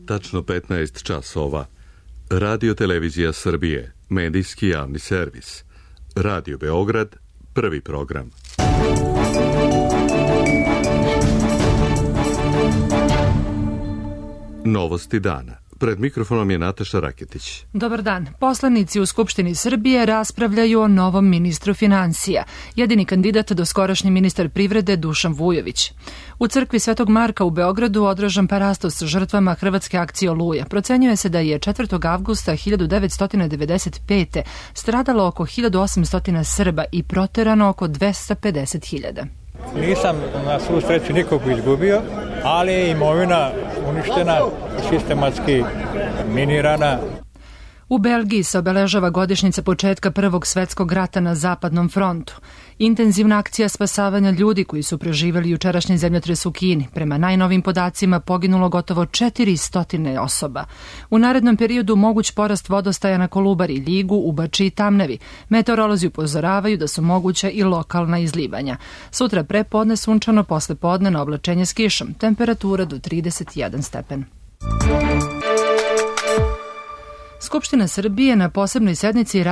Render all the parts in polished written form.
tačno 15 časova. Radio Televizija Srbije, medijski javni servis. Radio Beograd, prvi program. Novosti dana. Pred mikrofonom je Nataša Raketić. Dobar dan. Poslanici u Skupštini Srbije raspravljaju o novom ministru finansija. Jedini kandidat doskorašnji ministar privrede Dušan Vujović. U crkvi Svetog Marka u Beogradu održan parastos žrtvama hrvatske akcije Oluja. Procenjuje se da je 4. avgusta 1995. stradalo oko 1800 Srba i proterano oko 250.000. Nisam na svu sreću nikog izgubio, ali je imovina uništena, sistematski minirana. U Belgiji se obeležava godišnjica početka Prvog svetskog rata na Zapadnom frontu. Intenzivna akcija spasavanja ljudi koji su preživjeli jučerašnji zemljotres u Kini. Prema najnovim podacima poginulo gotovo 400 osoba. U narednom periodu moguć porast vodostaja na Kolubari, Ljigu, Ubači i Tamnavi. Meteorolozi upozoravaju da su moguća i lokalna izlivanja. Sutra prepodne sunčano, posle podne na oblačenje s kišom. Temperatura do 31 stepen. Skupština Srbije na posebnoj sednici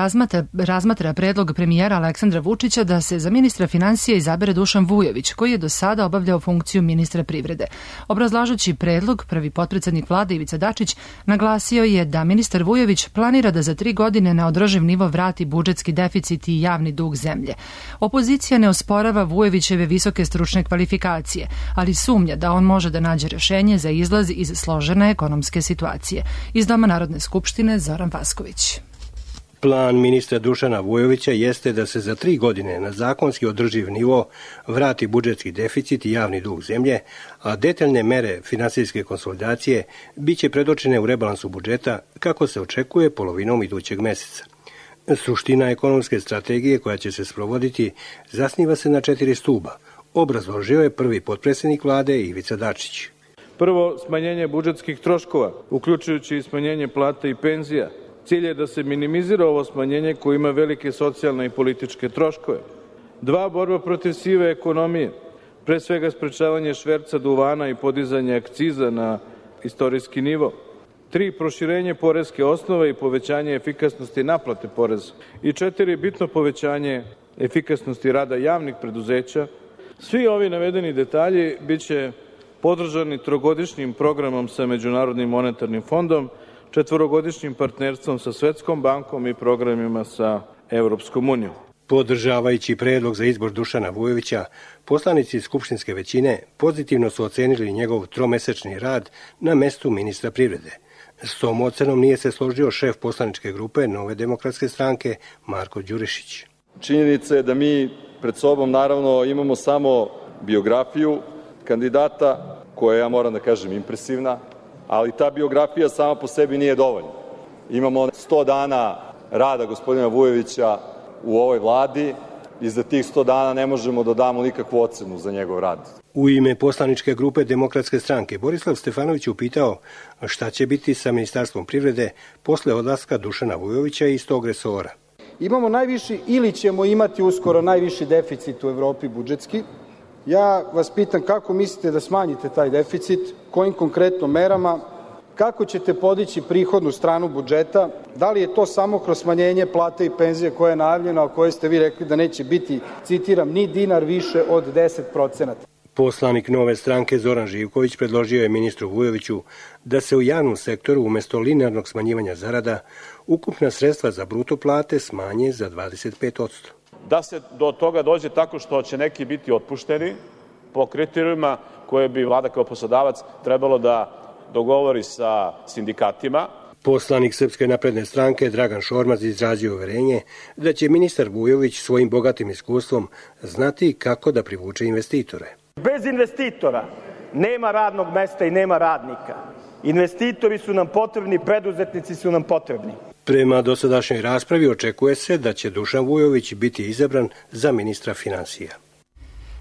razmatra predlog premijera Aleksandra Vučića da se za ministra finansija izabere Dušan Vujović, koji je do sada obavljao funkciju ministra privrede. Obrazlažući predlog, prvi potpredsednik vlade Ivica Dačić naglasio je da ministar Vujović planira da za 3 godine na održiv nivo vrati budžetski deficit i javni dug zemlje. Opozicija ne osporava Vujovićeve visoke stručne kvalifikacije, ali sumnja da on može da nađe rešenje za izlaz iz složene ekonomske situacije. Iz Doma Narodne skupštine Zoran Vasković. Plan ministra Dušana Vujovića jeste da se za 3 godine na zakonski održiv nivo vrati budžetski deficit i javni dug zemlje, a detaljne mere finansijske konsolidacije biće predočene u rebalansu budžeta kako se očekuje polovinom idućeg meseca. Suština ekonomske strategije koja će se sprovoditi zasniva se na 4 stuba, obrazložio je prvi potpredsednik vlade Ivica Dačić. Prvo, smanjenje budžetskih troškova, uključujući i smanjenje plata i penzija. Cilj je da se minimizira ovo smanjenje koje ima velike socijalne i političke troškove. 2, borba protiv sive ekonomije, pre svega sprečavanje šverca duvana i podizanje akciza na istorijski nivo. 3, proširenje poreske osnove i povećanje efikasnosti naplate poreza. I 4, bitno povećanje efikasnosti rada javnih preduzeća. Svi ovi navedeni detalji biće podržani 3-godišnjim programom sa Međunarodnim monetarnim fondom, 4-godišnjim partnerstvom sa Svetskom bankom i programima sa Evropskom unijom. Podržavajući predlog za izbor Dušana Vujovića, poslanici skupštinske većine pozitivno su ocenili njegov 3-mesečni rad na mestu ministra privrede. S tom ocenom nije se složio šef poslaničke grupe Nove demokratske stranke Marko Đurišić. Činjenica je da mi pred sobom naravno imamo samo biografiju kandidata, koja ja moram da kažem impresivna, ali ta biografija sama po sebi nije dovoljna. Imamo 100 dana rada gospodina Vujovića u ovoj vladi i za tih 100 dana ne možemo da damo nikakvu ocenu za njegov rad. U ime poslaničke grupe Demokratske stranke Borislav Stefanović upitao šta će biti sa Ministarstvom privrede posle odlaska Dušana Vujovića iz tog resora. Imamo najviši ili ćemo imati uskoro najviši deficit u Evropi budžetski. Ja vas pitam kako mislite da smanjite taj deficit, kojim konkretno merama, kako ćete podići prihodnu stranu budžeta, da li je to samo kroz smanjenje plate i penzije koje je najavljeno, a koje ste vi rekli da neće biti, citiram, ni dinar više od 10%. Poslanik Nove stranke Zoran Živković predložio je ministru Vujoviću da se u javnom sektoru umesto linearnog smanjivanja zarada ukupna sredstva za bruto plate smanje za 25%. Da se do toga dođe tako što će neki biti otpušteni po kriterijumima koje bi vlada kao poslodavac trebalo da dogovori sa sindikatima. Poslanik Srpske napredne stranke Dragan Šormaz izrazio uverenje da će ministar Vujović svojim bogatim iskustvom znati kako da privuče investitore. Bez investitora nema radnog mesta i nema radnika. Investitori su nam potrebni, preduzetnici su nam potrebni. Prema dosadašnjoj raspravi očekuje se da će Dušan Vujović biti izabran za ministra finansija.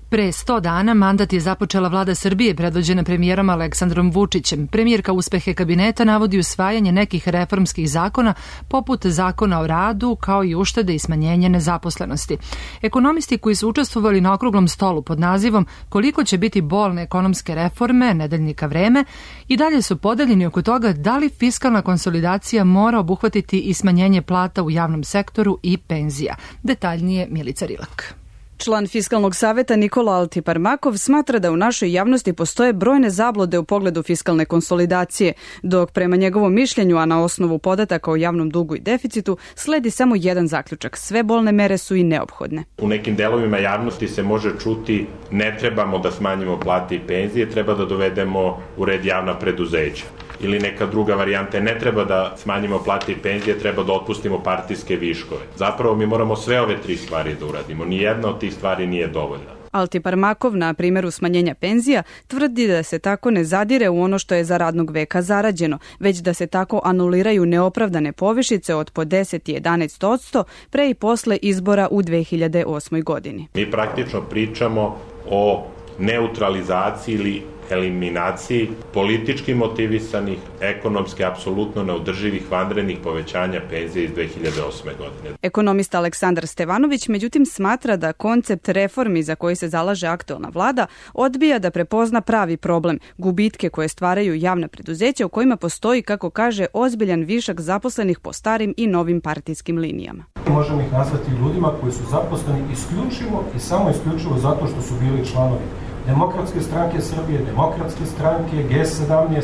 Pre 100 dana mandat je započela vlada Srbije predvođena premijerom Aleksandrom Vučićem. Premijerka uspehe kabineta navodi usvajanje nekih reformskih zakona, poput zakona o radu, kao i uštede i smanjenje nezaposlenosti. Ekonomisti koji su učestvovali na okruglom stolu pod nazivom "Koliko će biti bolne ekonomske reforme, nedeljnika Vreme", i dalje su podeljeni oko toga da li fiskalna konsolidacija mora obuhvatiti i smanjenje plata u javnom sektoru i penzija. Detaljnije Milica Rilak. Član Fiskalnog saveta Nikola Altiparmakov smatra da u našoj javnosti postoje brojne zablude u pogledu fiskalne konsolidacije, dok prema njegovom mišljenju, a na osnovu podataka o javnom dugu i deficitu, sledi samo jedan zaključak: sve bolne mere su i neophodne. U nekim delovima javnosti se može čuti: ne trebamo da smanjimo plate i penzije, treba da dovedemo u red javna preduzeća. Ili neka druga varijanta: ne treba da smanjimo plate i penzije, treba da otpustimo partijske viškove. Zapravo mi moramo sve ove tri stvari da uradimo. Nijedna od tih stvari nije dovoljna. Altiparmakov na primjeru smanjenja penzija tvrdi da se tako ne zadire u ono što je za radnog veka zarađeno, već da se tako anuliraju neopravdane povišice od po 10 i 11% pre i posle izbora u 2008. godini. Mi praktično pričamo o neutralizaciji ili eliminaciji politički motivisanih, ekonomski apsolutno neodrživih vanrednih povećanja penzija iz 2008. godine. Ekonomista Aleksandar Stevanović međutim smatra da koncept reformi za koji se zalaže aktuelna vlada odbija da prepozna pravi problem, gubitke koje stvaraju javna preduzeća u kojima postoji, kako kaže, ozbiljan višak zaposlenih po starim i novim partijskim linijama. Možemo ih nazvati ljudima koji su zaposleni isključivo i samo isključivo zato što su bili članovi Demokratske stranke Srbije, Demokratske stranke, G17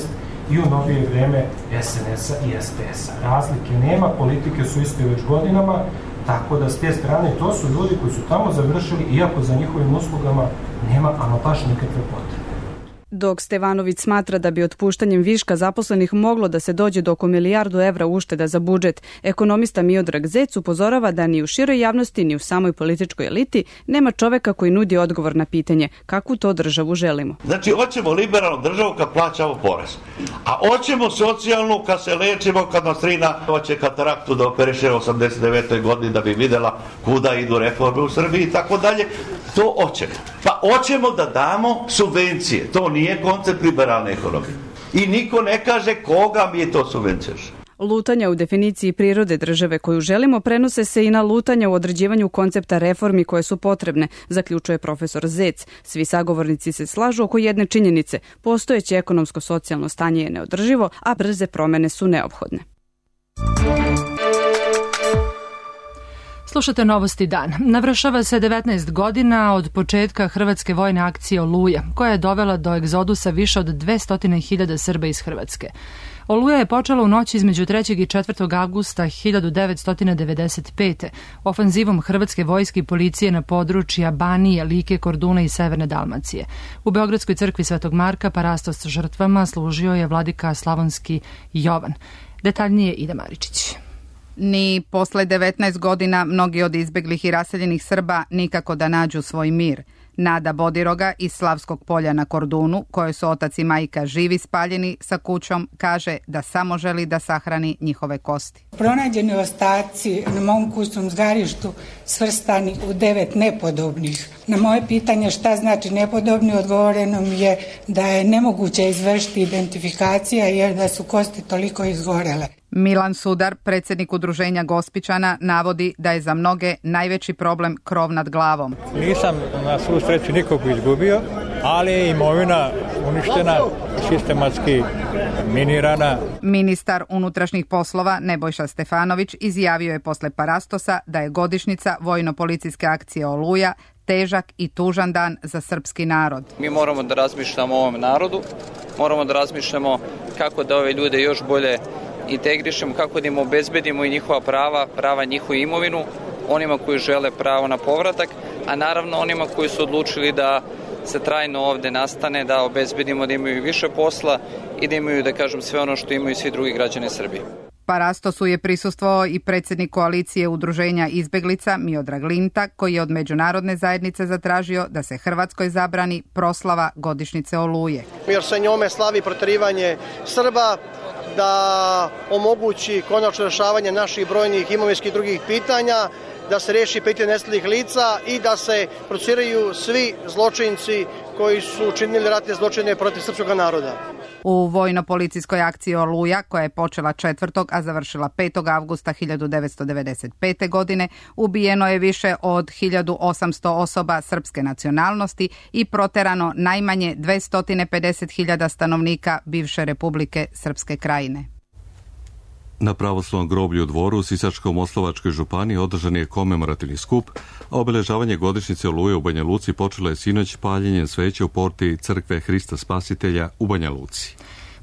i u novije vreme SNS-a i SPS-a. Razlike nema, politike su iste već godinama, tako da s te strane to su ljudi koji su tamo završili, iako za njihovim uslugama nema ama baš nikakve potrebe. Dok Stevanović smatra da bi otpuštanjem viška zaposlenih moglo da se dođe do oko milijardu evra ušteda za budžet, ekonomista Miodrag Zec upozorava da ni u široj javnosti ni u samoj političkoj eliti nema čoveka koji nudi odgovor na pitanje kakvu to državu želimo. Znači, hoćemo liberalnu državu kad plaćamo porez, a hoćemo socijalnu kad se lečimo, kad nas strina hoće kataraktu da operiše u 89. godini da bi videla kuda idu reforme u Srbiji i tako dalje. To hoćemo. Pa hoćemo da damo subvencije. To nije koncept liberalne ekonomije. I niko ne kaže koga mi to subvenciješ. Lutanja u definiciji prirode države koju želimo prenose se i na lutanja u određivanju koncepta reformi koje su potrebne, zaključuje profesor Zec. Svi sagovornici se slažu oko jedne činjenice: postojeće ekonomsko-socijalno stanje je neodrživo, a brze promene su neophodne. Slušate Novosti dan. Navršava se 19 godina od početka hrvatske vojne akcije Oluja, koja je dovela do egzodusa više od 200.000 Srba iz Hrvatske. Oluja je počela u noći između 3. i 4. avgusta 1995. ofanzivom hrvatske vojske i policije na područja Banije, Like, Korduna i Severne Dalmacije. U Beogradskoj crkvi Svetog Marka parastos žrtvama služio je vladika Slavonski Jovan. Detaljnije Ida Maričić. Ni posle 19 godina mnogi od izbeglih i raseljenih Srba nikako da nađu svoj mir. Nada Bodiroga iz Slavskog polja na Kordunu, koje su otac i majka živi spaljeni sa kućom, kaže da samo želi da sahrani njihove kosti. Pronađeni ostaci na mom kućnom zgarištu svrstani u 9 nepodobnih. Na moje pitanje šta znači nepodobni, odgovoreno mi je da je nemoguće izvršiti identifikacija jer da su kosti toliko izgorele. Milan Sudar, predsjednik udruženja Gospićana, navodi da je za mnoge najveći problem krov nad glavom. Nisam na svu sreću nikog izgubio, ali je imovina uništena, sistematski minirana. Ministar unutrašnjih poslova Nebojša Stefanović izjavio je posle Parastosa da je godišnjica vojno-policijske akcije Oluja težak i tužan dan za srpski narod. Mi moramo da razmišljamo o ovom narodu, moramo da razmišljamo kako da ove ljude još bolje integrišemo, kako da im obezbedimo i njihova prava njihovu imovinu, onima koji žele pravo na povratak, a naravno onima koji su odlučili da se trajno ovde nastane, da obezbedimo da imaju više posla i da imaju, da kažem, sve ono što imaju svi drugi građani Srbije. Parastosu je prisustvovao i predsjednik koalicije udruženja izbeglica Miodrag Linta, koji je od međunarodne zajednice zatražio da se Hrvatskoj zabrani proslava godišnjice Oluje. Jer se njome slavi proterivanje Srba, da omogući konačno rešavanje naših brojnih imovinskih drugih pitanja da se reši pitanje nestalih lica i da se procesuiraju svi zločinci koji su učinili ratne zločine protiv srpskog naroda. U vojno-policijskoj akciji Oluja, koja je počela 4. a završila 5. avgusta 1995. godine, ubijeno je više od 1800 osoba srpske nacionalnosti i proterano najmanje 250.000 stanovnika bivše Republike Srpske Krajine. Na pravoslavnom groblju u Dvoru u Sisačko-Moslavačkoj županiji održan je komemorativni skup, a obeležavanje godišnjice Oluje u Banja Luci počelo je sinoć paljenjem sveće u porti Crkve Hrista Spasitelja u Banja Luci.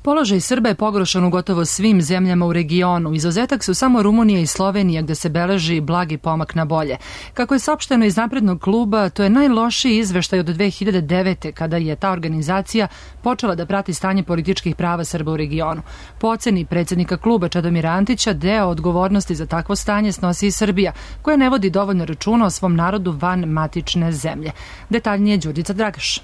Položaj Srba je pogoršan u gotovo svim zemljama u regionu. Izuzetak su samo Rumunija i Slovenija, gde se beleži blagi pomak na bolje. Kako je saopšteno iz Naprednog kluba, to je najlošiji izveštaj od 2009. kada je ta organizacija počela da prati stanje političkih prava Srba u regionu. Po oceni predsjednika kluba Čedomira Antića, deo odgovornosti za takvo stanje snosi i Srbija, koja ne vodi dovoljno računa o svom narodu van matične zemlje. Detaljnije Đurđica Dragaš.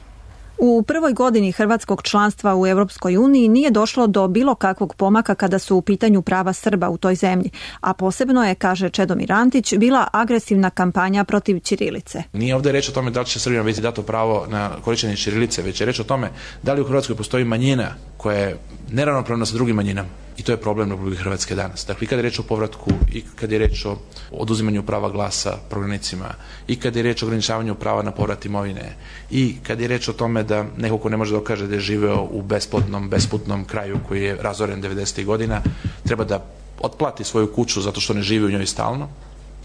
U prvoj godini hrvatskog članstva u Europskoj uniji nije došlo do bilo kakvog pomaka kada su u pitanju prava Srba u toj zemlji, a posebno je, kaže Čedomir Antić, bila agresivna kampanja protiv ćirilice. Nije ovdje reč o tome da li će Srbima biti dato pravo na korištenje ćirilice, već je reč o tome da li u Hrvatskoj postoji manjina koja je neravnopravna sa drugim manjinama. I to je problem Republike Hrvatske danas. Dakle, i kad je reč o povratku, i kad je reč o oduzimanju prava glasa prognanicima, i kad je reč o ograničavanju prava na povrat imovine, i kad je reč o tome da neko ko ne može dokaže da je živeo u besplodnom, besputnom kraju koji je razoren 90. godina, treba da otplati svoju kuću zato što ne živi u njoj stalno.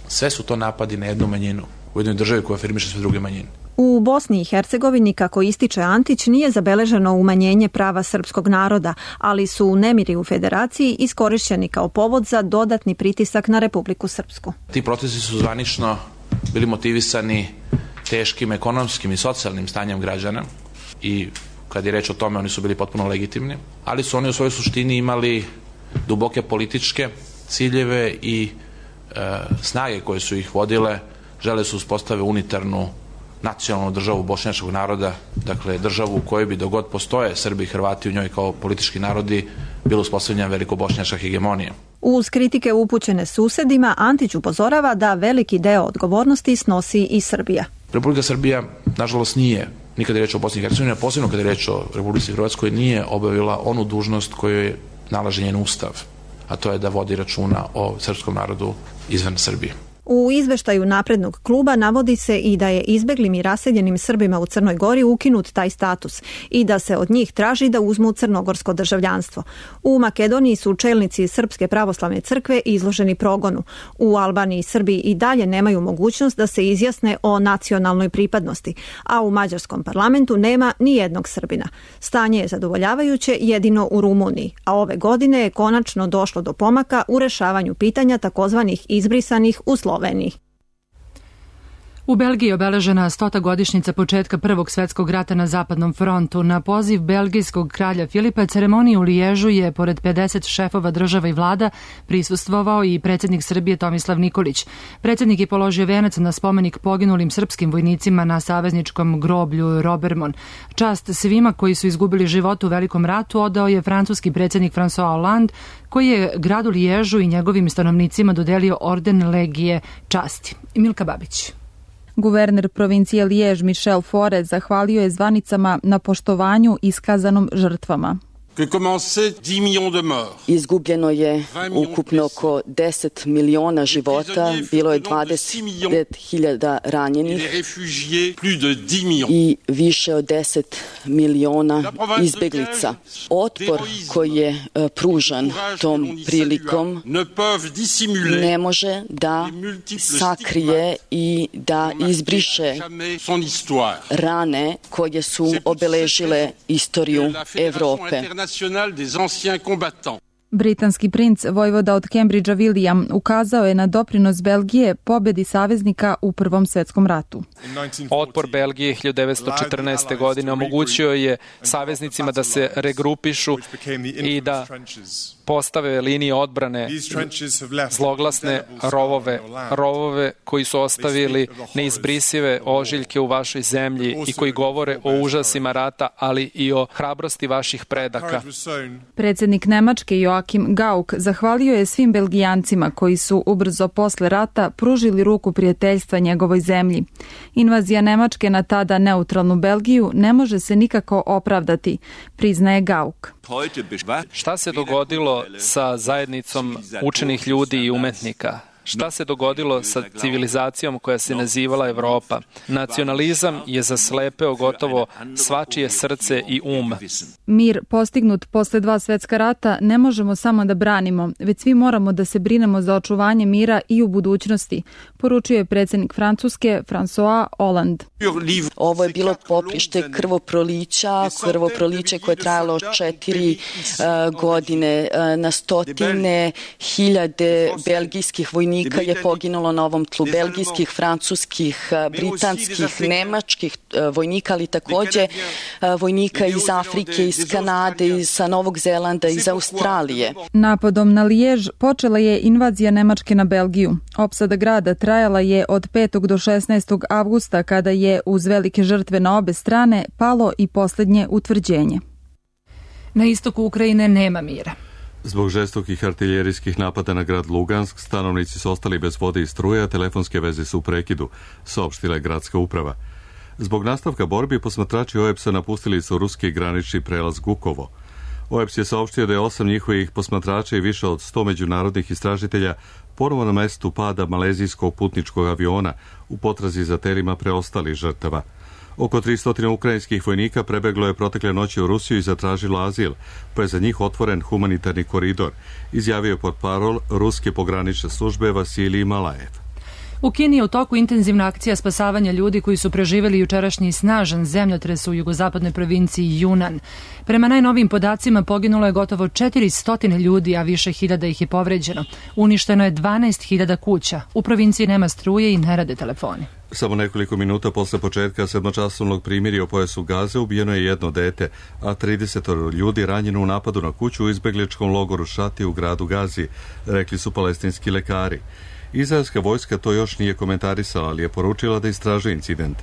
Sve su to napadi na jednu manjinu u jednoj državi koja afirmiše sve druge manjine. U Bosni i Hercegovini, kako ističe Antić, nije zabeleženo umanjenje prava srpskog naroda, ali su nemiri u federaciji iskorišćeni kao povod za dodatni pritisak na Republiku Srpsku. Ti procesi su zvanično bili motivisani teškim ekonomskim i socijalnim stanjem građana i kad je reč o tome oni su bili potpuno legitimni, ali su oni u svojoj suštini imali duboke političke ciljeve i snage koje su ih vodile, žele su uspostave unitarnu nacionalnu državu bošnjačkog naroda, dakle državu u kojoj bi dogod postoje Srbi i Hrvati u njoj kao politički narodi bilo uspostavljena velikobošnjačka hegemonija. Uz kritike upućene susedima, Antić upozorava da veliki deo odgovornosti snosi i Srbija. Republika Srbija, nažalost, nije, nikad je reč o Bosni i Hercegovini, a posebno kada je reč o Republici Hrvatskoj, nije obavila onu dužnost koju je nalaže njen ustav, a to je da vodi računa o srpskom narodu izvan Srbije. U izveštaju Naprednog kluba navodi se i da je izbeglim i raseljenim Srbima u Crnoj Gori ukinut taj status i da se od njih traži da uzmu crnogorsko državljanstvo. U Makedoniji su čelnici Srpske pravoslavne crkve izloženi progonu. U Albaniji Srbi i dalje nemaju mogućnost da se izjasne o nacionalnoj pripadnosti, a u mađarskom parlamentu nema ni jednog Srbina. Stanje je zadovoljavajuće jedino u Rumuniji, a ove godine je konačno došlo do pomaka u rešavanju pitanja takozvanih izbrisanih u Sloveniji. U Belgiji je obeležena 100. godišnjica početka Prvog svjetskog rata na Zapadnom frontu. Na poziv belgijskog kralja Filipa ceremoniji u Liježu je, pored 50 šefova država i vlada, prisustvovao i predsjednik Srbije Tomislav Nikolić. Predsjednik je položio venac na spomenik poginulim srpskim vojnicima na savezničkom groblju Robermont. Čast svima koji su izgubili život u Velikom ratu odao je francuski predsjednik François Hollande, koji je gradu Liježu i njegovim stanovnicima dodelio orden Legije časti. Milka Babić. Guverner provincije Lijež Michel Faure zahvalio je zvanicama na poštovanju iskazanom žrtvama. Izgubljeno je ukupno oko 10 miliona života, bilo je 20.000 ranjenih i više od 10 miliona izbeglica. Otpor koji je pružan tom prilikom ne može da sakrije i da izbriše rane koje su obeležile istoriju Evrope. Britanski princ vojvoda od Cambridgea William ukazao je na doprinos Belgije pobedi saveznika u Prvom svjetskom ratu. Otpor Belgije 1914. godine omogućio je saveznicima da se regrupišu i da postave linije odbrane, zloglasne rovove koji su ostavili neizbrisive ožiljke u vašoj zemlji i koji govore o užasima rata, ali i o hrabrosti vaših predaka. Predsjednik Nemačke Joachim Joakim Gauck zahvalio je svim Belgijancima koji su ubrzo posle rata pružili ruku prijateljstva njegovoj zemlji. Invazija Nemačke na tada neutralnu Belgiju ne može se nikako opravdati, priznaje Gauck. Šta se dogodilo sa zajednicom učenih ljudi i umetnika? Šta se dogodilo sa civilizacijom koja se nazivala Evropa? Nacionalizam je zaslepeo gotovo svačije srce i um. Mir postignut posle 2 svetska rata ne možemo samo da branimo, već svi moramo da se brinemo za očuvanje mira i u budućnosti, poručio je predsjednik Francuske François Hollande. Ovo je bilo poprište krvoproliće koje je trajalo 4 godine. Na stotine hiljade belgijskih vojnika je poginulo na ovom tlu, belgijskih, francuskih, britanskih, nemačkih vojnika, ali takođe vojnika iz Afrike, iz Kanade, iz Novog Zelanda, iz Australije. Napadom na Lijež počela je invazija Nemačke na Belgiju. Opsada grada trajala je od 5. do 16. avgusta, kada je uz velike žrtve na obe strane palo i posljednje utvrđenje. Na istoku Ukrajine nema mira. Zbog žestokih artiljerijskih napada na grad Lugansk, stanovnici su ostali bez vode i struje, a telefonske veze su u prekidu, saopštila je gradska uprava. Zbog nastavka borbi, posmatrači OEBS-a napustili su ruski granični prelaz Gukovo. OEBS je saopštio da je 8 njihovih posmatrača i više od 100 međunarodnih istražitelja ponovo na mestu pada malezijskog putničkog aviona u potrazi za telima preostalih žrtava. Oko 300 ukrajinskih vojnika prebeglo je protekle noći u Rusiju i zatražilo azil, pa je za njih otvoren humanitarni koridor, izjavio portparol ruske pogranične službe Vasilij Malajev. U Kini je u toku intenzivna akcija spasavanja ljudi koji su preživjeli jučerašnji snažan zemljotres u jugozapadnoj provinciji Yunnan. Prema najnovijim podacima poginulo je gotovo 400 ljudi, a više hiljada ih je povređeno. Uništeno je 12.000 kuća. U provinciji nema struje i ne rade telefoni. Samo nekoliko minuta posle početka 7-časovnog primirja u pojasu Gaze ubijeno je jedno dete, a 30 ljudi ranjeno u napadu na kuću u izbegličkom logoru Šati u gradu Gazi, rekli su palestinski lekari. Izraelska vojska to još nije komentarisala, ali je poručila da istražuje incident.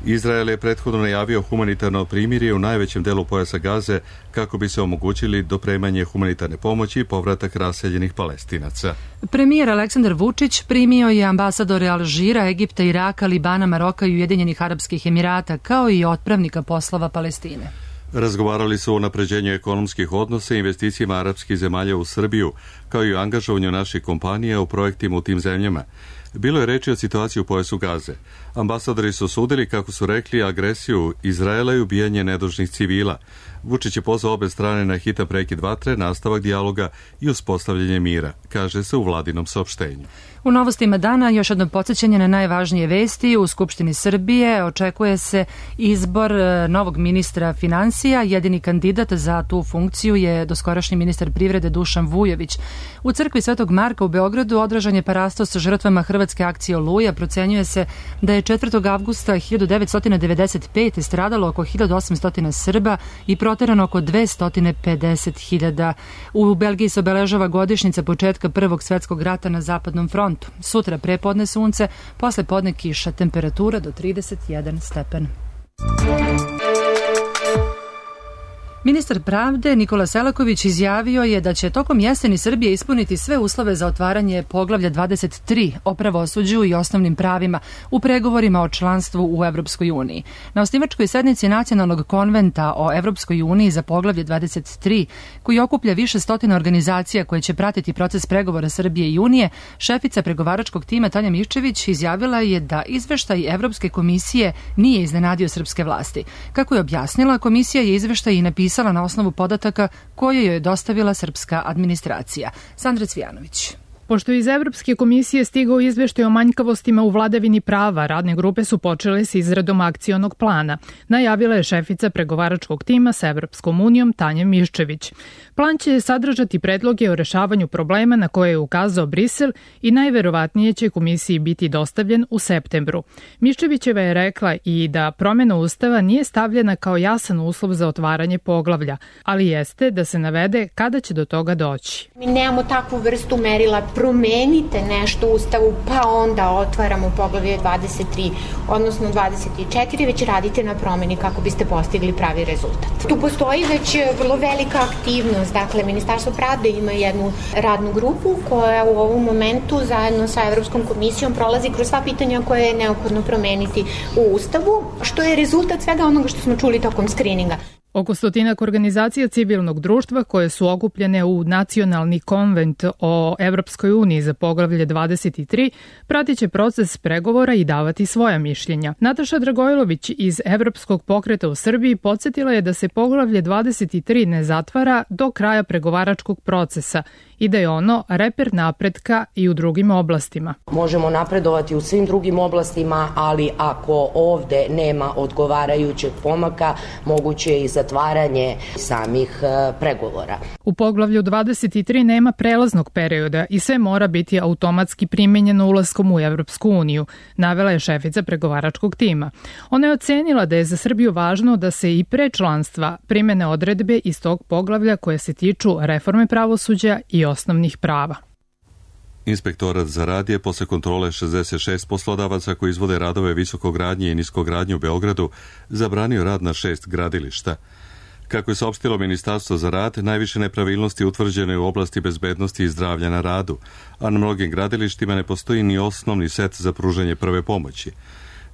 Izrael je prethodno najavio humanitarno primirje u najvećem delu pojasa Gaze kako bi se omogućili dopremanje humanitarne pomoći i povratak raseljenih Palestinaca. Premijer Aleksandar Vučić primio je ambasadore Alžira, Egipta, Iraka, Libana, Maroka i Ujedinjenih Arapskih Emirata, kao i otpravnika poslova Palestine. Razgovarali su o napređenju ekonomskih odnosa i investicijama arapskih zemalja u Srbiju, kao i o angažovanju naših kompanija u projektima u tim zemljama. Bilo je reči o situaciji u pojasu Gaze. Ambasadori su osudili, kako su rekli, agresiju Izraela i ubijanje nedužnih civila. Vučić je pozvao obe strane na hitan prekid vatre, nastavak dijaloga i uspostavljanje mira, kaže se u vladinom saopštenju. U novostima dana još jedno podsjećanje na najvažnije vesti. U Skupštini Srbije očekuje se izbor novog ministra finansija. Jedini kandidat za tu funkciju je doskorašnji ministar privrede Dušan Vujović. U crkvi Svetog Marka u Beogradu održan je parastos sa žrtvama hrvatske akcije Oluja. Procenjuje se da je 4. avgusta 1995. stradalo oko 1800 Srba i proterano oko 250.000. U Belgiji se obeležava godišnjica početka Prvog svetskog rata na Zapadnom frontu. Sutra prepodne sunce, posle podne kiša, temperatura do 31 stepen. Ministar pravde Nikola Selaković izjavio je da će tokom jeseni Srbije ispuniti sve uslove za otvaranje poglavlja 23 o pravosuđu i osnovnim pravima u pregovorima o članstvu u Evropskoj uniji. Na osnivačkoj sednici Nacionalnog konventa o Evropskoj uniji za poglavlje 23, koji okuplja više stotina organizacija koje će pratiti proces pregovora Srbije i Unije, šefica pregovaračkog tima Tanja Miščević izjavila je da izveštaj Evropske komisije nije iznenadio srpske vlasti. Kako je objasnila, komisija je izveštaj i napisala na osnovu podataka koje joj je dostavila srpska administracija. Sandra Cvijanović. Pošto iz Evropske komisije stigao izveštaj o manjkavostima u vladavini prava, radne grupe su počele s izradom akcionog plana, najavila je šefica pregovaračkog tima sa Evropskom unijom Tanja Miščević. Plan će sadržati predloge o rešavanju problema na koje je ukazao Brisel i najverovatnije će komisiji biti dostavljen u septembru. Miščevićeva je rekla i da promjena Ustava nije stavljena kao jasan uslov za otvaranje poglavlja, ali jeste da se navede kada će do toga doći. Mi nemamo takvu vrstu merila promenite nešto u Ustavu, pa onda otvaramo poglavlje 23, odnosno 24, već radite na promeni kako biste postigli pravi rezultat. Tu postoji već vrlo velika aktivnost, dakle Ministarstvo pravde ima jednu radnu grupu koja u ovom momentu zajedno sa Evropskom komisijom prolazi kroz sva pitanja koje je neophodno promeniti u Ustavu, što je rezultat svega onoga što smo čuli tokom skrininga. Oko 100 organizacija civilnog društva koje su okupljene u Nacionalni konvent o Evropskoj uniji za poglavlje 23 pratit će proces pregovora i davati svoja mišljenja. Nataša Dragojlović iz Evropskog pokreta u Srbiji podsjetila je da se poglavlje 23 ne zatvara do kraja pregovaračkog procesa i da je ono reper napretka i u drugim oblastima. Možemo napredovati u svim drugim oblastima, ali ako ovde nema odgovarajućeg pomaka, moguće je i zatvaranje samih pregovora. U poglavlju 23 nema prelaznog perioda i sve mora biti automatski primenjeno ulaskom u Evropsku uniju, navela je šefica pregovaračkog tima. Ona je ocenila da je za Srbiju važno da se i pre članstva primene odredbe iz tog poglavlja koje se tiču reforme pravosuđa i osnovnih prava. Inspektorat za rad je posle kontrole 66 poslodavaca koji izvode radove visokogradnje i niskogradnje u Beogradu zabranio rad na 6 gradilišta. Kako je saopštilo Ministarstvo za rad, najviše nepravilnosti utvrđene u oblasti bezbednosti i zdravlja na radu, a na mnogim gradilištima ne postoji ni osnovni set za pružanje prve pomoći.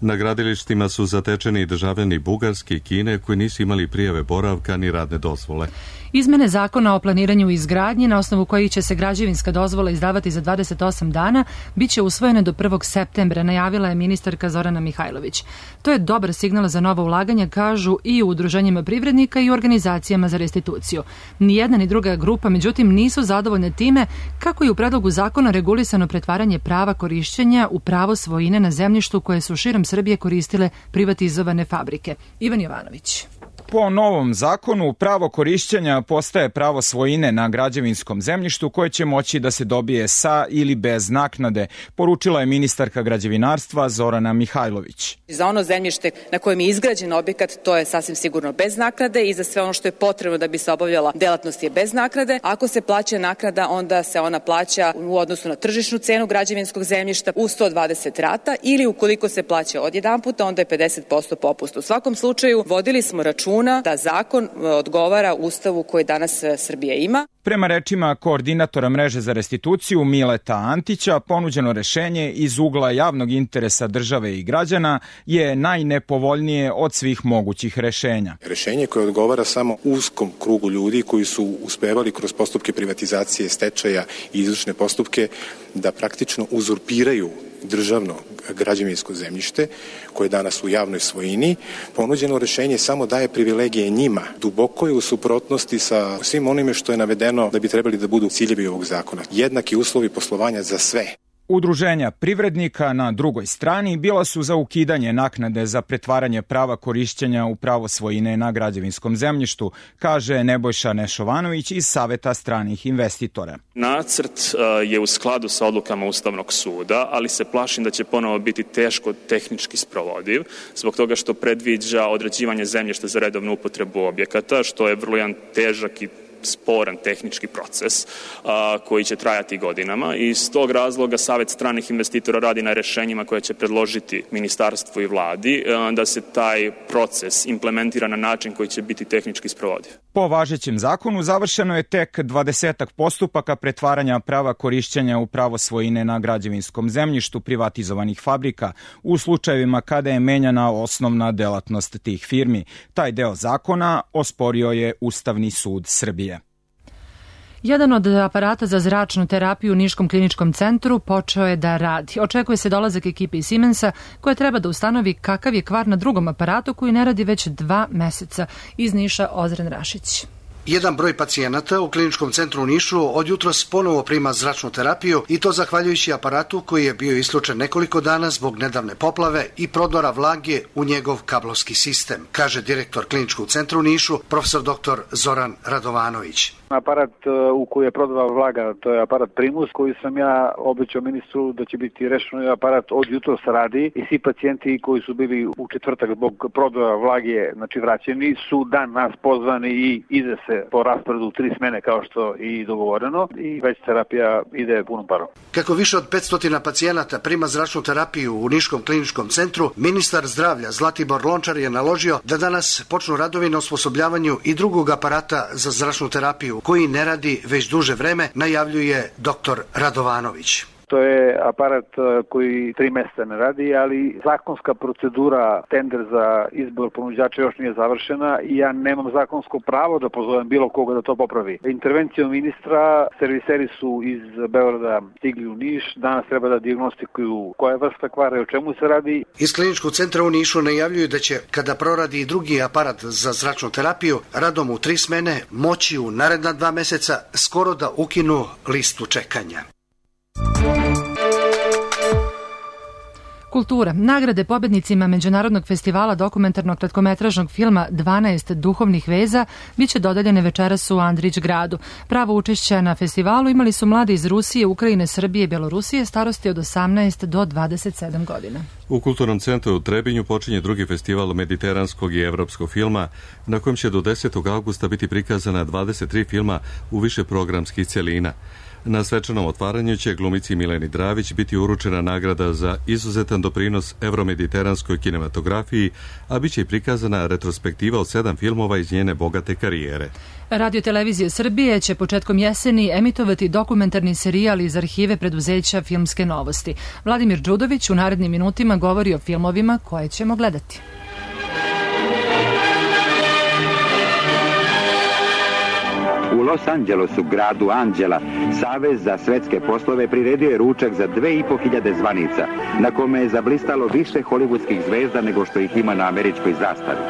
Na gradilištima su zatečeni i državljani Bugarske i Kine koji nisu imali prijave boravka ni radne dozvole. Izmene zakona o planiranju i izgradnji, na osnovu kojih će se građevinska dozvola izdavati za 28 dana, bit će usvojene do 1. septembra, najavila je ministarka Zorana Mihajlović. To je dobar signal za nova ulaganja, kažu i u udruženjima privrednika i u organizacijama za restituciju. Nijedna ni druga grupa, međutim, nisu zadovoljne time kako je u predlogu zakona regulisano pretvaranje prava korišćenja u pravo svojine na zemljištu koje su širom Srbije koristile privatizovane fabrike. Ivan Jovanović. Po novom zakonu, pravo korišćenja postaje pravo svojine na građevinskom zemljištu koje će moći da se dobije sa ili bez naknade, poručila je ministarka građevinarstva Zorana Mihajlović. Za ono zemljište na kojem je izgrađen objekat, to je sasvim sigurno bez naknade i za sve ono što je potrebno da bi se obavljala delatnost je bez naknade. Ako se plaća naknada, onda se ona plaća u odnosu na tržišnu cenu građevinskog zemljišta u 120 rata ili ukoliko se plaća odjedanputa, onda je 50% popust. U svakom slučaju vodili smo računa da zakon odgovara Ustavu koji danas Srbija ima. Prema rečima koordinatora mreže za restituciju Mileta Antića, ponuđeno rešenje iz ugla javnog interesa države i građana je najnepovoljnije od svih mogućih rešenja. Rešenje koje odgovara samo uskom krugu ljudi koji su uspevali kroz postupke privatizacije, stečaja i izvršne postupke da praktično uzurpiraju državno građevinsko zemljište koje je danas u javnoj svojini. Ponuđeno rešenje samo daje privilegije njima. Duboko je u suprotnosti sa svim onime što je navedeno da bi trebali da budu ciljevi ovog zakona. Jednaki uslovi poslovanja za sve. Udruženja privrednika na drugoj strani bila su za ukidanje naknade za pretvaranje prava korišćenja u pravo svojine na građevinskom zemljištu, kaže Nebojša Nešovanović iz Saveta stranih investitora. Nacrt je u skladu sa odlukama Ustavnog suda, ali se plašim da će ponovo biti teško tehnički sprovodiv, zbog toga što predviđa određivanje zemljišta za redovnu upotrebu objekata, što je vrlo jedan težak i sporan tehnički proces koji će trajati godinama i iz tog razloga Savet stranih investitora radi na rešenjima koje će predložiti ministarstvu i vladi da se taj proces implementira na način koji će biti tehnički sprovodiv. Po važećem zakonu završeno je tek 20 postupaka pretvaranja prava korišćenja u pravo svojine na građevinskom zemljištu privatizovanih fabrika u slučajevima kada je menjana osnovna delatnost tih firmi. Taj deo zakona osporio je Ustavni sud Srbije. Jedan od aparata za zračnu terapiju u Niškom kliničkom centru počeo je da radi. Očekuje se dolazak ekipe iz Siemensa koja treba da ustanovi kakav je kvar na drugom aparatu koji ne radi već 2 meseca. Iz Niša Ozren Rašić. Jedan broj pacijenata u kliničkom centru u Nišu od jutros ponovo prima zračnu terapiju i to zahvaljujući aparatu koji je bio isključen nekoliko dana zbog nedavne poplave i prodora vlage u njegov kablovski sistem, kaže direktor kliničkog centra u Nišu, profesor dr. Zoran Radovanović. Aparat u koji je prodala Vlaga, to je aparat Primus, koji sam ja obećao ministru da će biti rešeno. Aparat od jutros radi i svi pacijenti koji su bili u četvrtak zbog prodora Vlage, znači vraćeni, su dan nas pozvani i ide se po rasporedu 3 smene kao što i dogovoreno i već terapija ide punom parom. Kako više od 500 pacijenata prima zračnu terapiju u Niškom kliničkom centru, ministar zdravlja Zlatibor Lončar je naložio da danas počnu radovi na osposobljavanju i drugog aparata za zračnu terapiju, koji ne radi već duže vreme, najavljuje dr. Radovanović. To je aparat koji 3 meseca ne radi, ali zakonska procedura, tender za izbor ponuđača još nije završena i ja nemam zakonsko pravo da pozovem bilo koga da to popravi. Intervencijom ministra serviseri su iz Beograda stigli u Niš, danas treba da dijagnostikuju koja je vrsta kvara i o čemu se radi. Iz kliničkog centra u Nišu najavljuju da će, kada proradi i drugi aparat za zračnu terapiju, radom u 3 smene moći u naredna 2 meseca skoro da ukinu listu čekanja. Kultura. Nagrade pobednicima Međunarodnog festivala dokumentarnog kratkometražnog filma 12 duhovnih veza biće dodeljene večeras u Andrić gradu. Pravo učešće na festivalu imali su mladi iz Rusije, Ukrajine, Srbije i Belorusije starosti od 18 do 27 godina. U Kulturnom centru u Trebinju počinje drugi festival mediteranskog i evropskog filma, na kojem će do 10. augusta biti prikazana 23 filma u više programskih celina. Na svečanom otvaranju će glumici Mileni Dravić biti uručena nagrada za izuzetan doprinos evromediteranskoj kinematografiji, a bit će i prikazana retrospektiva od 7 filmova iz njene bogate karijere. Radio Televizija Srbije će početkom jeseni emitovati dokumentarni serijal iz arhive preduzeća Filmske novosti. Vladimir Đudović u narednim minutima govori o filmovima koje ćemo gledati. U Los Angelesu, gradu Anđela, Savez za svetske poslove priredio je ručak za 2500 zvanica, na kome je zablistalo više hollywoodskih zvezda nego što ih ima na američkoj zastavi.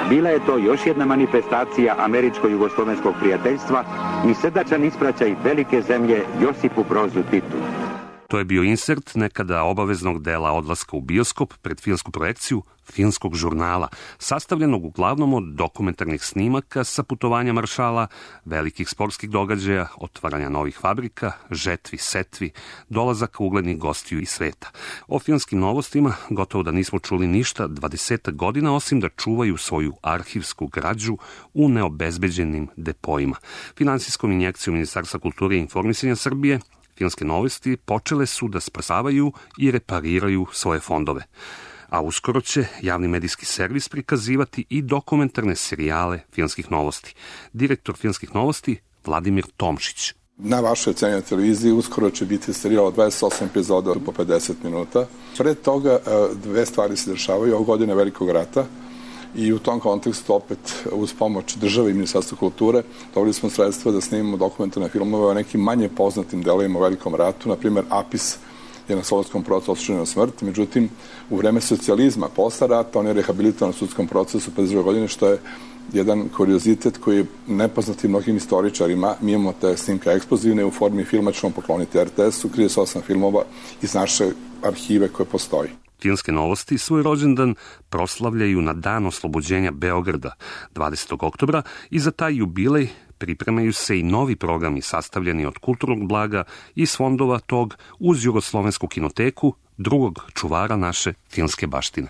Bila je to još jedna manifestacija američko-jugoslovenskog prijateljstva i srdačan ispraćaj velike zemlje Josipu Brozu Titu. To je bio insert nekada obaveznog dela odlaska u bioskop pred filmsku projekciju filmskog žurnala, sastavljenog uglavnom od dokumentarnih snimaka sa putovanja maršala, velikih sportskih događaja, otvaranja novih fabrika, žetvi, setvi, dolazaka uglednih gostiju iz sveta. O filmskim novostima gotovo da nismo čuli ništa 20 godina, osim da čuvaju svoju arhivsku građu u neobezbeđenim depojima. Finansijskom injekcijom Ministarstva kulture i informisanja Srbije filmske novosti počele su da spasavaju i repariraju svoje fondove. A uskoro će javni medijski servis prikazivati i dokumentarne serijale filmskih novosti. Direktor filmskih novosti Vladimir Tomšić. Na vašoj cenjenoj televiziji uskoro će biti serijal od 28 epizoda po 50 minuta. Pred toga 2 stvari se dešavaju. Ovo godine Velikog rata i u tom kontekstu opet uz pomoć države i Ministarstva kulture dobili smo sredstva da snimimo dokumentarne filmove o nekim manje poznatim delovima u Velikom ratu. Na primjer, Apis je na Solunskom procesu osuđen na smrt, međutim u vreme socijalizma posle rata on je rehabilitovan u sudskom procesu 52 godine, što je jedan kuriozitet koji je nepoznat i mnogim istoričarima. Mi imamo te snimke eksplozivne u formi filma, ćemo pokloniti RTS-u, 38 filmova iz naše arhive koje postoji. Filmske novosti svoj rođendan proslavljaju na dan oslobođenja Beograda 20. oktobra i za taj jubilej pripremaju se i novi programi sastavljeni od kulturnog blaga iz fondova tog uz Jugoslovensku kinoteku, drugog čuvara naše filmske baštine.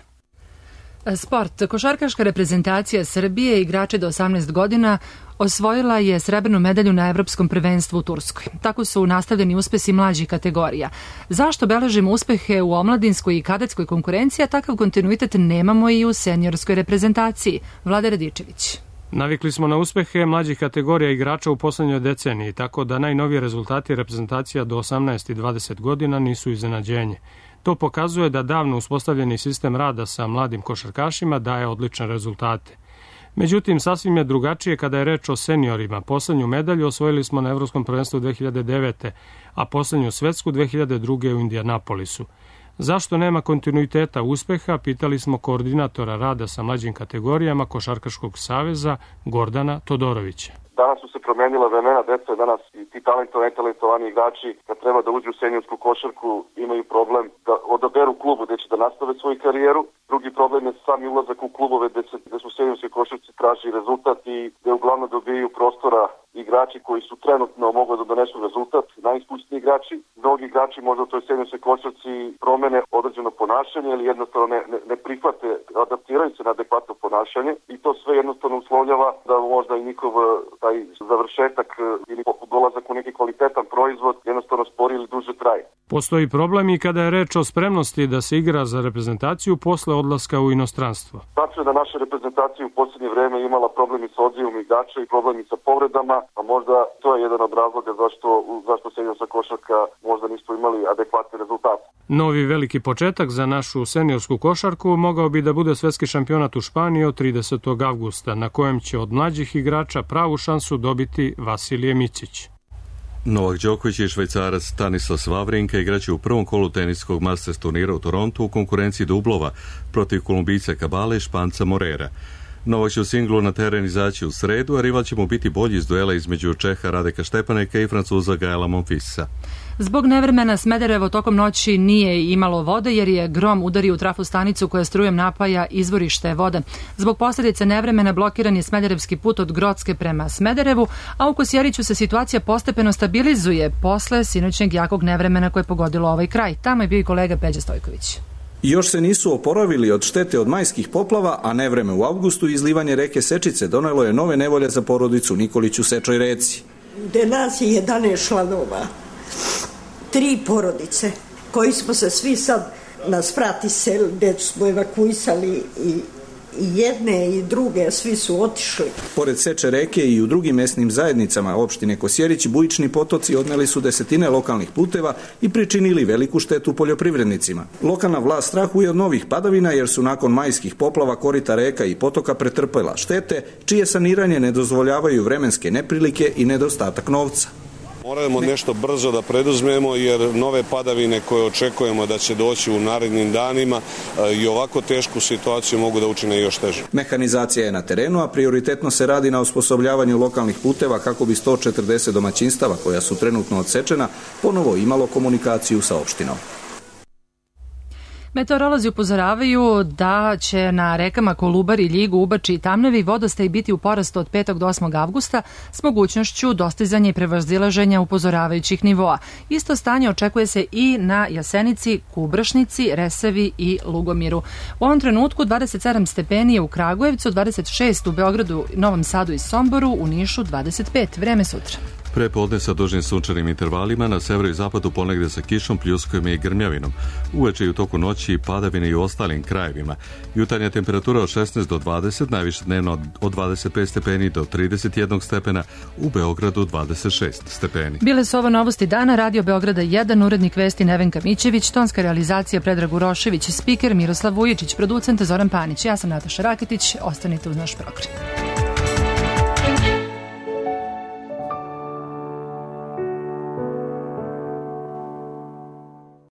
Sport. Košarkaška reprezentacija Srbije, igrače do 18 godina, osvojila je srebrnu medalju na Evropskom prvenstvu u Turskoj. Tako su nastavljeni uspesi mlađih kategorija. Zašto beležimo uspehe u omladinskoj i kadetskoj konkurenciji, a takav kontinuitet nemamo i u seniorskoj reprezentaciji? Vlada Radičević. Navikli smo na uspehe mlađih kategorija igrača u poslednjoj deceniji, tako da najnovije rezultati reprezentacija do 18 i 20 godina nisu iznenađenje. To pokazuje da davno uspostavljeni sistem rada sa mladim košarkašima daje odlične rezultate. Međutim, sasvim je drugačije kada je reč o seniorima. Poslednju medalju osvojili smo na Evropskom prvenstvu 2009. a poslednju svetsku 2002. u Indianapolisu. Zašto nema kontinuiteta uspeha, pitali smo koordinatora rada sa mlađim kategorijama Košarkaškog saveza Gordana Todorovića. Danas su se promenila vremena, deca je danas i ti talentovani igrači kad treba da uđu u seniorsku košarku imaju problem da odaberu klubu gde će da nastave svoju karijeru. Drugi problem je sami ulazak u klubove gde su seniorske košarci traži rezultat i gde uglavnom dobijaju prostora igrači koji su trenutno mogli da donesu rezultat, najiskusniji igrači. Mnogi igrači možda u toj seniorskoj košarci promene određeno ponašanje ili jednostavno ne prihvate, adaptiraju se na adekvatno ponašanje i to sve jednostavno uslovljava da možda i njihov taj završetak ili dolazak u neki kvalitetan proizvod jednostavno spori ili duže traje. Postoji problem i kada je reč o spremnosti da se igra za reprezentaciju posle odlaska u inostranstvo. Tačno je da naša reprezentacija u posljednje vreme imala problemi sa odzivom igrača i problemi sa povredama, a možda to je jedan od razloga zašto seniorska košarka možda nismo imali adekvatne rezultate. Novi veliki početak za našu seniorsku košarku mogao bi da bude svetski šampionat u Španiji od 30. avgusta, na kojem će od mlađih igrača pravu šansu dobiti Vasilije Micić. Novak Đoković i Švajcarac Stanislas Wawrinka igraće u prvom kolu teniskog Masters turnira u Torontu u konkurenciji dublova protiv Kolumbijca Kabale i Španca Morera. Novak će u singlu na teren izaći u sredu, a rival će mu biti bolji iz duela između Čeha Radeka Štepaneka i Francuza Gaela Monfilsa. Zbog nevremena Smederevo tokom noći nije imalo vode jer je grom udario u trafostanicu koja strujem napaja izvorište vode. Zbog posljedice nevremena blokiran je smederevski put od Grocke prema Smederevu, a u Kosjeriću se situacija postepeno stabilizuje posle sinoćnjeg jakog nevremena koje je pogodilo ovaj kraj. Tamo je bio i kolega Peđa Stojković. Još se nisu oporavili od štete od majskih poplava, a nevreme u avgustu i izlivanje reke Sečice donelo je nove nevolje za porodicu Nikolić u Sečoj reci. Gde nas je 11 članova, 3 porodice, koji smo se svi sad nas prati sel, gde smo evakuisali i jedne i druge, svi su otišli. Pored Seče reke i u drugim mesnim zajednicama opštine Kosjerić, bujični potoci odneli su desetine lokalnih puteva i pričinili veliku štetu poljoprivrednicima. Lokalna vlast strahuje od novih padavina jer su nakon majskih poplava korita reka i potoka pretrpela štete, čije saniranje ne dozvoljavaju vremenske neprilike i nedostatak novca. Moramo nešto brzo da preduzmemo jer nove padavine koje očekujemo da će doći u narednim danima i ovako tešku situaciju mogu da učine još teže. Mehanizacija je na terenu, a prioritetno se radi na osposobljavanju lokalnih puteva kako bi 140 domaćinstava koja su trenutno odsečena ponovo imalo komunikaciju sa opštinom. Meteorolozi upozoravaju da će na rekama Kolubari, Ljigu, Ubači i Tamnavi vodostaj biti u porastu od 5. do 8. avgusta s mogućnošću dostizanja i prevazilaženja upozoravajućih nivoa. Isto stanje očekuje se i na Jasenici, Kubršnici, Resavi i Lugomiru. U ovom trenutku 27 stepeni je u Kragujevcu, 26 u Beogradu, Novom Sadu i Somboru, u Nišu 25. Vreme sutra. Prepodne sa dužnim sunčanim intervalima, na severu i zapadu ponegde sa kišom, pljuskovima i grmljavinom. Uveče i u toku noći padavine i u ostalim krajevima. Jutarnja temperatura od 16 do 20, najviše dnevno od 25 stepeni do 31 stepena, u Beogradu 26 stepeni. Bile su ovo novosti dana, Radio Beograda 1, urednik vesti Nevenka Mićević, tonska realizacija Predrag Urošević, spiker Miroslav Vujičić, producent Zoran Panić. Ja sam Nataša Raketić, ostanite uz naš program.